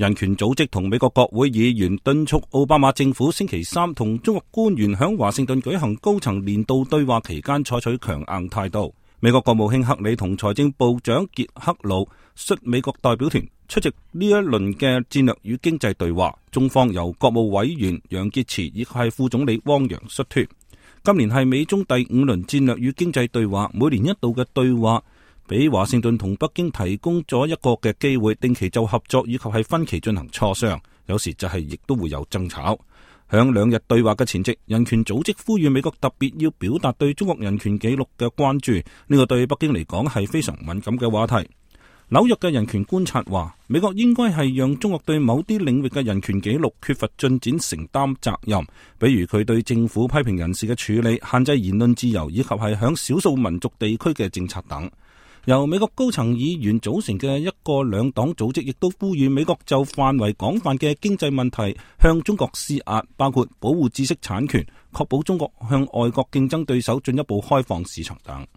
人權組織同美國國會議員敦促奧巴馬政府星期三同中國官員喺華盛頓舉行高層年度對話期間採取強硬態度。美國國務卿克里同財政部長傑克魯率美國代表團出席呢一輪嘅戰略與經濟對話，中方由國務委員楊潔篪以及係副總理汪洋率團。今年係美中第5輪戰略與經濟對話，每年一度嘅對話俾華盛頓同北京提供咗一個嘅機會，定期就合作以及係分歧進行磋商，有時就係亦都會有爭吵。響2日對話嘅前夕，人權組織呼籲美國特別要表達對中國人權紀錄嘅關注，呢個對北京嚟講係非常敏感嘅話題。紐約嘅人權觀察話，美國應該係讓中國對某啲領域嘅人權紀錄缺乏進展承擔責任，比如佢對政府批評人士嘅處理、限制言論自由以及係響少數民族地區嘅政策等。由美國高層議員組成嘅一個兩黨組織亦都呼籲美國就範圍廣泛嘅經濟問題向中國施壓，包括保護知識產權、確保中國向外國競爭對手進一步開放市場等。